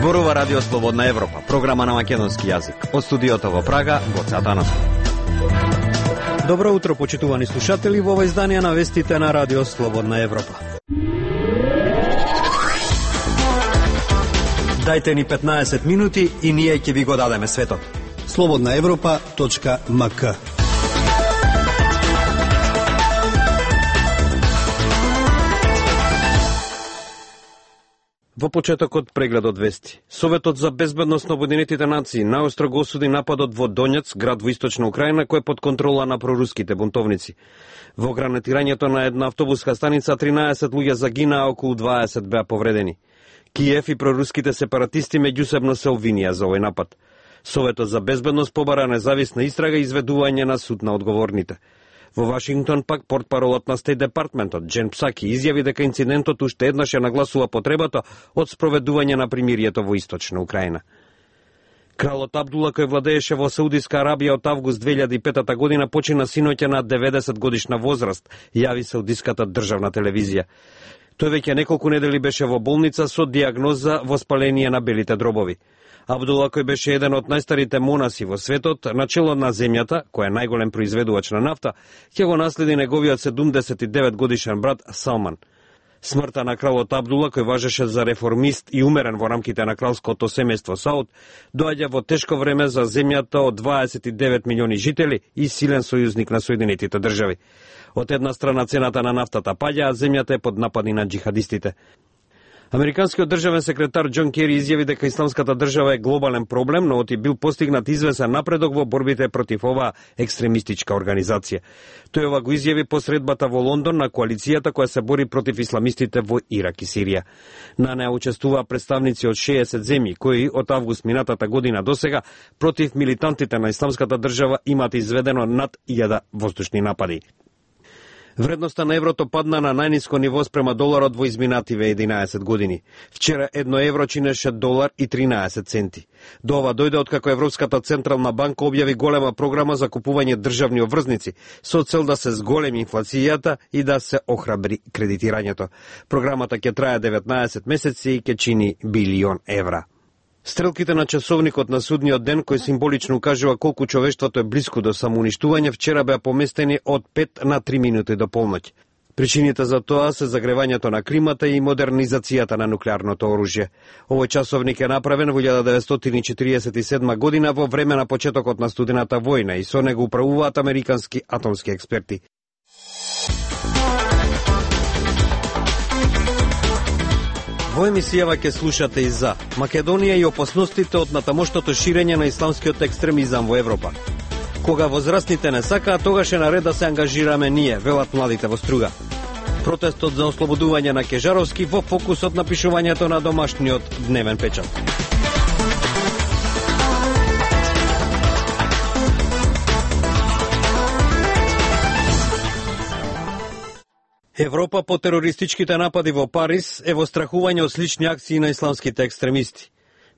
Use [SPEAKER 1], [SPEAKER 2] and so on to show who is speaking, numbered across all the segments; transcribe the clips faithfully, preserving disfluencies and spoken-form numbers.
[SPEAKER 1] Зборува Радио Слободна Европа, програма на македонски јазик. Од студиото во Прага, Гоце Атанасов. Добро утро, почитувани слушатели, во ова издание на вестите на Радио Слободна Европа. Дајте ни петнаесет минути и ние ќе ви го дадеме светот.
[SPEAKER 2] слободна европа точка ем ка.
[SPEAKER 1] Во почетокот прегледот вести. Советот за безбедност на Обединетите нации наостро го осуди нападот во Донец, град во источна Украина, кој е под контрола на проруските бунтовници. Во гранатирањето на една автобуска станица тринаесет луѓе загинаа, околу дваесет беа повредени. Киев и проруските сепаратисти меѓусебно се обвинија за овој напад. Советот за безбедност побара независна истрага и изведување на суд на одговорните. Во Вашингтон пак портпаролот на Стейт Департментот Джен Псаки изјави дека инцидентот уште еднаш ја нагласува потребата од спроведување на примирието во источна Украина. Кралот Абдула, кој владееше во Саудиска Арабија од август две илјади и пета година, почина синоќа на деветдесет годишна возраст, јави Саудиската државна телевизија. Тој веќе неколку недели беше во болница со диагноза воспаление на белите дробови. Абдула, кој беше еден од најстарите монаси во светот, начело на земјата, кој е најголем произведувач на нафта, ќе го наследи неговиот седумдесет и девет годишен брат Салман. Смртта на кралот Абдула, кој важеше за реформист и умерен во рамките на кралското семејство Сауд, доаѓа во тешко време за земјата од дваесет и девет милиони жители и силен сојузник на Соединетите држави. Од една страна цената на нафтата паѓа, а земјата е под напади на джихадистите. Американскиот државен секретар Џон Кери изјави дека исламската држава е глобален проблем, но оти бил постигнат извесен напредок во борбите против оваа екстремистичка организација. Тој ова го изјави по средбата во Лондон на коалицијата која се бори против исламистите во Ирак и Сирија. На неа учествуваа представници од шеесет земји, кои од август минатата година досега против милитантите на исламската држава имаат изведено над илјада воздушни напади. Вредноста на еврото падна на најниско ниво спрема доларот во изминативе единаесет години. Вчера едно евро чинеше долар и тринаесет центи. До ова дојде откако Европската централна банка објави голема програма за купување државни обврзници со цел да се зголеми инфлацијата и да се охрабри кредитирањето. Програмата ќе трае деветнаесет месеци и ќе чини билион евра. Стрелките на часовникот на судниот ден, кој символично укажува колку човештвото е блиску до самоуништување, вчера беа поместени од пет на три минути до полноќ. Причините за тоа се загревањето на климата и модернизацијата на нуклеарното оружје. Овој часовник е направен во илјада деветстотини и четириесет и седма година во време на почетокот на студената војна и со него управуваат американски атомски експерти. Во емисијава ќе слушате и за Македонија и опасностите од натамошното ширење на исламскиот екстремизам во Европа. Кога возрастните не сакаат, тогаш е наред да се ангажираме ние, велат младите во Струга. Протестот за ослободување на Кежаровски во фокусот на пишувањето на домашниот дневен печат. Европа по терористичките напади во Париз е во страхување од слични акции на исламските екстремисти.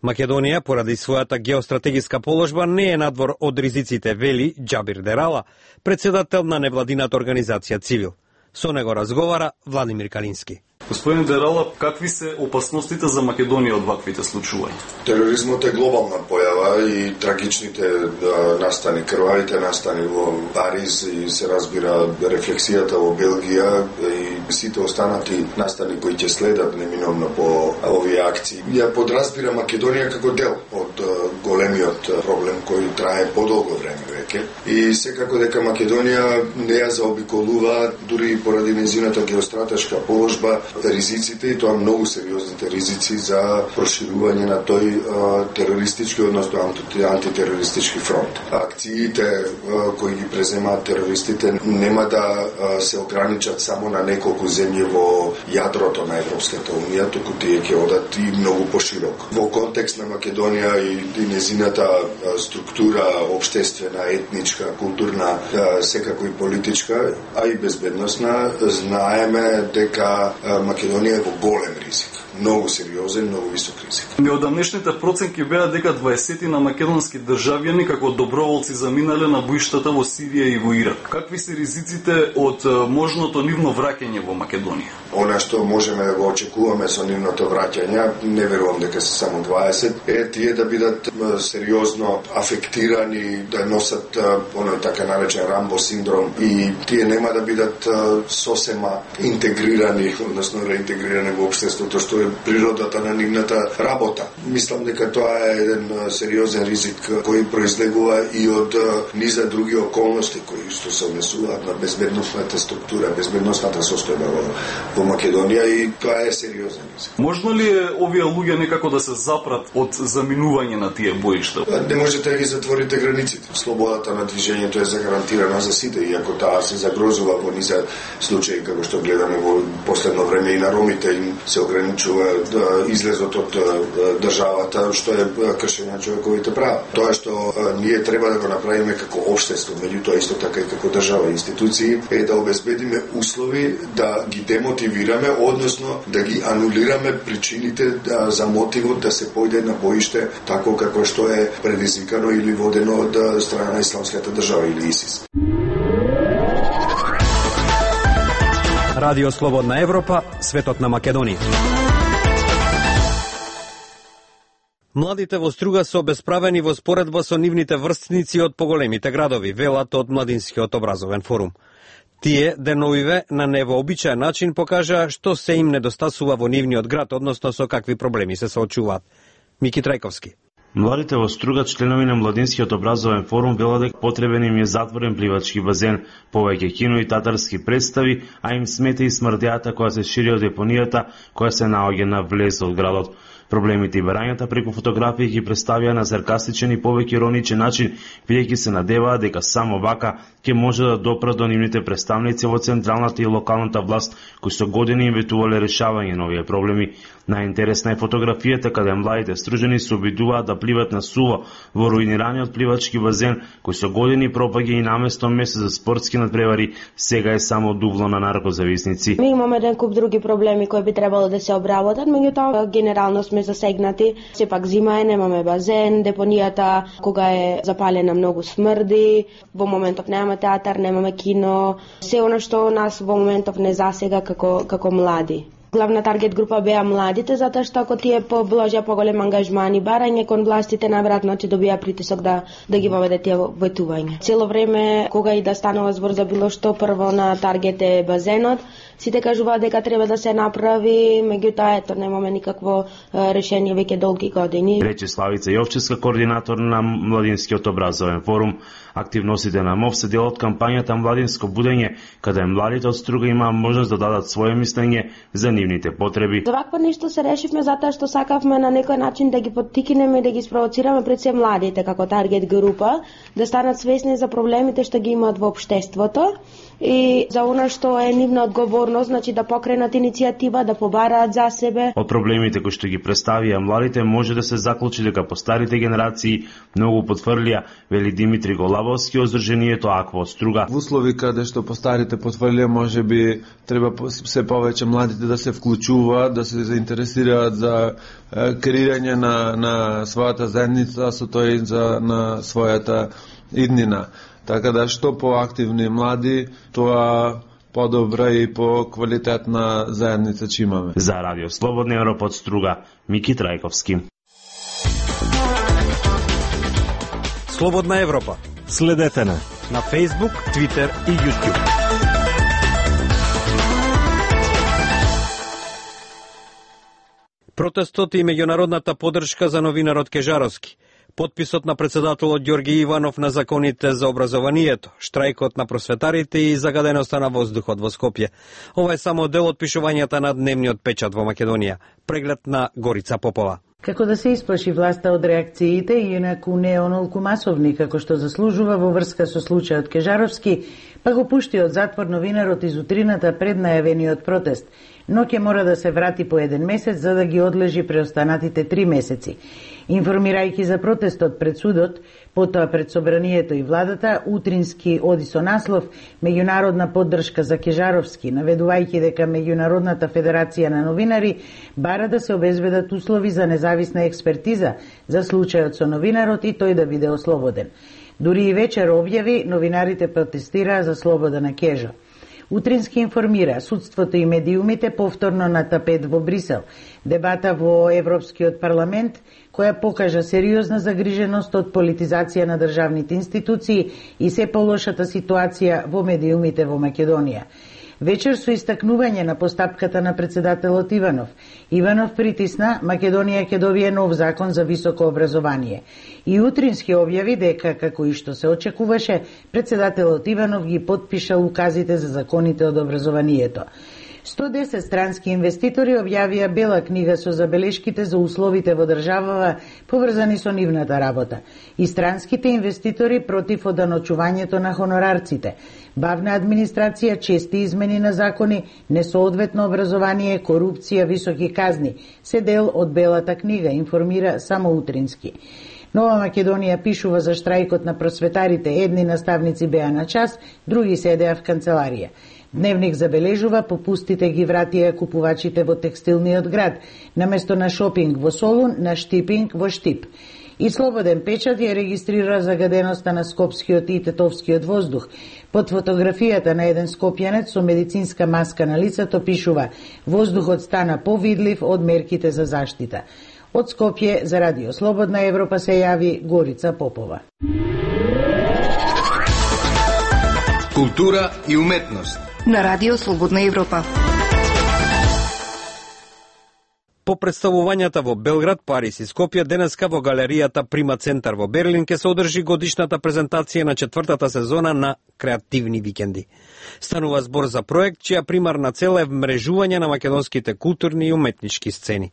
[SPEAKER 1] Македонија, поради својата геостратегиска положба, не е надвор од ризиците, вели Џабир Дерала, председател на невладината организација Цивил. Со него разговара Владимир Калински.
[SPEAKER 3] Господин Дерала, какви се опасностите за Македонија од ваквите случувања?
[SPEAKER 4] Тероризмот е глобална појава и трагичните да, настани, крвавите настани во Париз и се разбира рефлексијата во Белгија и сите останати настани кои ќе следат неминовно по овие акции. Ја подразбира Македонија како дел од големиот проблем кој трае подолго време веќе. И секако дека Македонија не ја заобиколува дури и поради нејзината геостратешка положба ризиците, и тоа многу сериозните ризици за проширување на тој а, терористички, односно анти, антитерористички фронт. Акциите а, кои ги преземаат терористите нема да а, се ограничат само на неколку земји во јадрото на Европската унија, туку тие ќе одат и многу пошироко. Во контекст на Македонија и, и незината а, структура општествена, етничка, културна, а, секако и политичка, а и безбедносна, знаеме дека а, Македонија е во голем ризик. многу сериозен, многу висок ризик.
[SPEAKER 3] Неодамнешните проценки беа дека дваесет на македонски државјани како доброволци заминале на боиштата во Сирија и во Ирак. Какви се ризиците од можното нивно враќање во Македонија?
[SPEAKER 4] Она што можеме да го очекуваме со нивното враќање, не верувам дека се само дваесет, е тие да бидат сериозно афектирани, да носат оној така наречен Рамбо синдром и тие нема да бидат сосема интегрирани, односно реинтегрирани во општеството, што е природата на нивната работа. Мислам дека тоа е еден сериозен ризик кој произлегува и од низа други околности кои што се однесуваат на безбедносната структура, безбедносната состојба во, во Македонија и тоа е сериозен ризик.
[SPEAKER 3] Можно ли е овие луѓе некако да се запрат од заминување на тие боишта?
[SPEAKER 4] Не можете да ги затворите границите. Слободата на движењето е загарантирана за сите, иако таа се загрозува во низа случаи како што гледаме во последно време и на ромите им се ограничува да излезот од државата, што е кршење на човековите права. Тоа што ние треба да го направиме како општество, меѓутоа исто така и како држава и институции, е да обезбедиме услови да ги демотивираме, односно да ги анулираме причините да, за мотивот да се појде на боиште тако како што е предизвикано или водено од страна на Исламската држава или ИСИС.
[SPEAKER 1] Радио Слободна Европа, светот на Македонија. Младите во Струга се обесправени во споредба со нивните врстници од поголемите градови, велат од Младинскиот образовен форум. Тие деновиве на невообичаен начин покажаа што се им недостасува во нивниот град, односно со какви проблеми се соочуваат. Мики Трајковски.
[SPEAKER 5] Младите во Струга, членови на Младинскиот образовен форум, велат дека потребен им е затворен пливачки базен, повеќе кино и татарски представи, а им смета и смрдејата која се шири од депонијата, која се наоѓа на влез од градот. Проблемите и барањата преку фотографии ги представија на саркастичен и повеќе ироничен начин, бидејќи се надеваа дека само вака ќе може да допрат до нивните представници во централната и локалната власт, кои со години им ветувале решавање на овие проблеми. Најинтересна е фотографијата каде младите стружени се обидуваат да пливат на суво во руинираниот пливачки базен, кој со години пропаѓа и наместо место за спортски надпревари, сега е само дубло на наркозависници.
[SPEAKER 6] Ми имаме еден куп други проблеми кои би требало да се обработат, меѓутоа генерално сме засегнати. Сепак зима е, немаме базен, депонијата кога е запалена многу смрди, во моментов немаме театар, немаме кино, се она што нас во моментов не засега како како млади. Главна таргет група беа младите, затоа што ако тие положија поголем ангажман и барање кон властите, најверојатно ќе добија притисок да да ги воведе тие ветувања. Цело време кога и да станува збор за било што, прво на таргет е базенот. Сите кажуваат дека треба да се направи, меѓутоа ето немаме никакво решение веќе долги години.
[SPEAKER 5] Рече Славица Јовчевска, координатор на Младинскиот образовен форум. Активностите на МОВ се дел од кампањата Младинско будење, каде младите од Струга имаа можност да дадат свое мислење за нивните потреби.
[SPEAKER 6] За вакво нешто се решивме затоа што сакавме на некој начин да ги поттикнеме и да ги спровоцираме пред се младите како таргет група, да станат свесни за проблемите што ги имаат во општеството и за она што е нивна одговорност, значи да покренат иницијатива, да побараат за себе.
[SPEAKER 5] Од проблемите кои што ги представија младите може да се заклучи дека по старите генерации многу потврлија, вели Димитри Голабовски од Здруженијето Аква од Струга.
[SPEAKER 7] Во услови каде што по старите потврлија, може би треба се повеќе младите да се вклучуваат, да се заинтересираат за креирање на на својата заедница, со тоа и за на својата иднина. Така да што поактивни млади, тоа подобра и по квалитетна заедница ќе имаме.
[SPEAKER 5] За Радио Слободна Европа од Струга, Мики Трајковски.
[SPEAKER 1] Слободна Европа.
[SPEAKER 8] Следете на
[SPEAKER 1] на Facebook, Twitter и YouTube. Протестот и меѓународната поддршка за новинарот Кежаровски. Потписот на председателот Ѓорги Иванов на законите за образованието, штрајкот на просветарите и загаденоста на воздухот во Скопје. Ова е само дел од пишувањата на дневниот печат во Македонија. Преглед на Горица Попова.
[SPEAKER 9] Како да се исплаши власта од реакциите, инаку не онолку масовни како што заслужува во врска со случајот Кежаровски, па го пушти од затвор новинарот из утрината пред најавениот протест, но ќе мора да се врати по еден месец за да ги одлежи преостанатите три месеци. Информирајќи за протестот пред судот, потоа пред собранието и владата, Утрински оди со наслов «Меѓународна поддршка за Кежаровски», наведувајќи дека Меѓународната федерација на новинари бара да се обезбедат услови за независна експертиза за случајот со новинарот и тој да биде ослободен. Дури и вечер објави, новинарите протестираа за слобода на Кежо. Утрински информира, судството и медиумите повторно на тапет во Брисел, дебата во Европскиот парламент, која покажа сериозна загриженост од политизација на државните институции и се полошата ситуација во медиумите во Македонија. Вечер со истакнување на постапката на председателот Иванов, Иванов притисна Македонија ќе добие нов закон за високо образование. И Утрински објави дека, како и што се очекуваше, председателот Иванов ги подпиша указите за законите од образованието. сто десет странски инвеститори објавија бела книга со забелешките за условите во државава поврзани со нивната работа. И странските инвеститори против оданочувањето на хонорарците, бавна администрација, чести измени на закони, несоодветно образование, корупција, високи казни, се дел од белата книга, информира само Утрински. Нова Македонија пишува за штрајкот на просветарите, едни наставници беа на час, други седеа в канцеларија. Дневник забележува попустите ги вратија купувачите во текстилниот град, наместо на шопинг во Солун, на штипинг во Штип. И Слободен печат ја регистрира загаденоста на скопскиот и тетовскиот воздух. Под фотографијата на еден скопјанец со медицинска маска на лицето пишува «Воздухот стана повидлив од мерките за заштита». Од Скопје за Радио Слободна Европа се јави Горица Попова.
[SPEAKER 2] Култура и уметност
[SPEAKER 8] на Радио Слободна Европа.
[SPEAKER 1] По представувањата во Белград, Париз и Скопје, денеска во галеријата Прима Центар во Берлин ќе се одржи годишната презентација на четвртата сезона на Креативни викенди. Станува збор за проект чија примарна цел е вмрежување на македонските културни и уметнички сцени.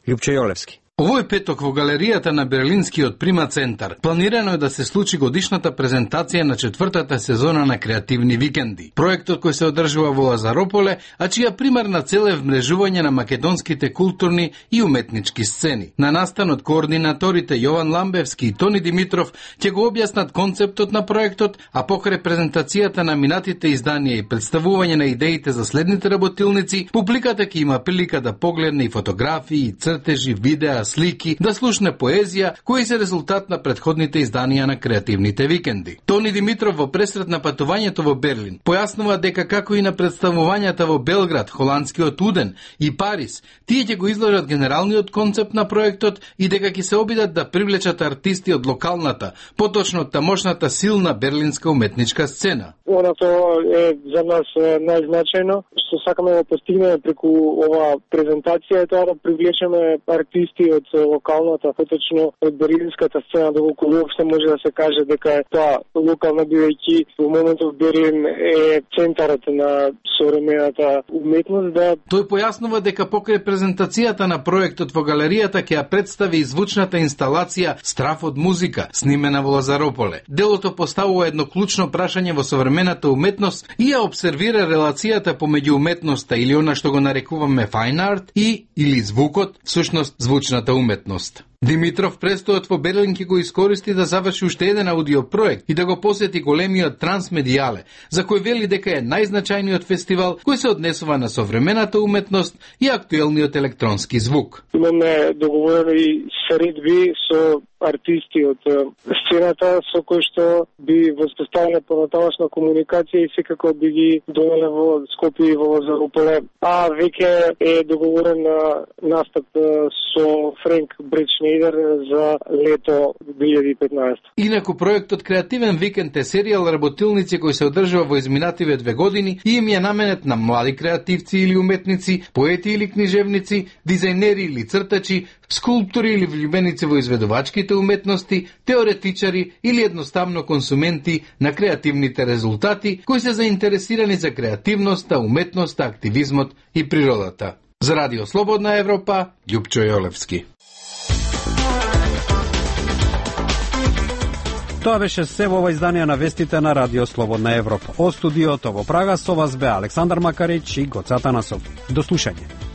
[SPEAKER 1] Љупче Јолевски.
[SPEAKER 10] Овој петок во галеријата на Берлинскиот Прима Центар планирано е да се случи годишната презентација на четвртата сезона на Креативни викенди. Проектот кој се одржува во Лазарополе, а чија примарна цел е вмрежување на македонските културни и уметнички сцени. На настанот координаторите Јован Ламбевски и Тони Димитров ќе го објаснат концептот на проектот, а покрај презентацијата на минатите изданија и представување на идеите за следните работилници, публиката ќе има прилика да погледне и фотографии, цртежи, видеа, слики, да слушне поезија, кои се резултат на предходните изданија на Креативните викенди. Тони Димитров во пресред на патувањето во Берлин појаснува дека како и на представувањата во Белград, холандскиот Уден и Париз, тие ќе го изложат генералниот концепт на проектот и дека ќе се обидат да привлечат артисти од локалната, поточно од тамошната силна берлинска уметничка сцена.
[SPEAKER 11] Она тоа е за нас најзначајно, што сакаме да постигнеме преку ова презентација, е тоа да привлечеме артисти од локалната, поточно од берлинската сцена, доколку уопште може да се каже дека е тоа локална, бидејќи во моментов Берлин е центарот на современата уметност. Да...
[SPEAKER 10] Тој појаснува дека покрај презентацијата на проектот во галеријата ќе ја представи и звучната инсталација Страф од музика, снимена во Лазарополе. Делото поставува едно клучно прашање во современата уметност и ја обсервира релацијата помеѓу уметноста или она што го нарекуваме fine art и или звукот, всушност звучната уметност. Димитров престојот во Берлин ќе го искористи да заврши уште еден аудиопроект и да го посети големиот Трансмедијале, за кој вели дека е најзначајниот фестивал кој се однесува на современата уметност и актуелниот електронски звук.
[SPEAKER 11] Имаме договорени средби со артисти од сцената со кои што би воспоставиле понатамошна комуникација и секако би ги довеле во Скопје и во Лазарополе. А веќе е договорен настап со Френк Бречнейдер за лето две илјади и петнаесета.
[SPEAKER 10] Инаку проектот Креативен викенд е серијал работилници кој се одржува во изминативе две години и им е наменет на млади креативци или уметници, поети или книжевници, дизајнери или цртачи, скулптори или влюбеници во изведувачките уметности, теоретичари или едноставно консументи на креативните резултати кои се заинтересирани за креативноста, уметноста, активизмот и природата. За Радио Слободна Европа, Љупчо Јолевски.
[SPEAKER 1] Тоа беше се во ова изданија на вестите на Радио Слободна Европа. Од студиото во Прага со вас бе Александар Макарич и Гоца Танасов. До слушање.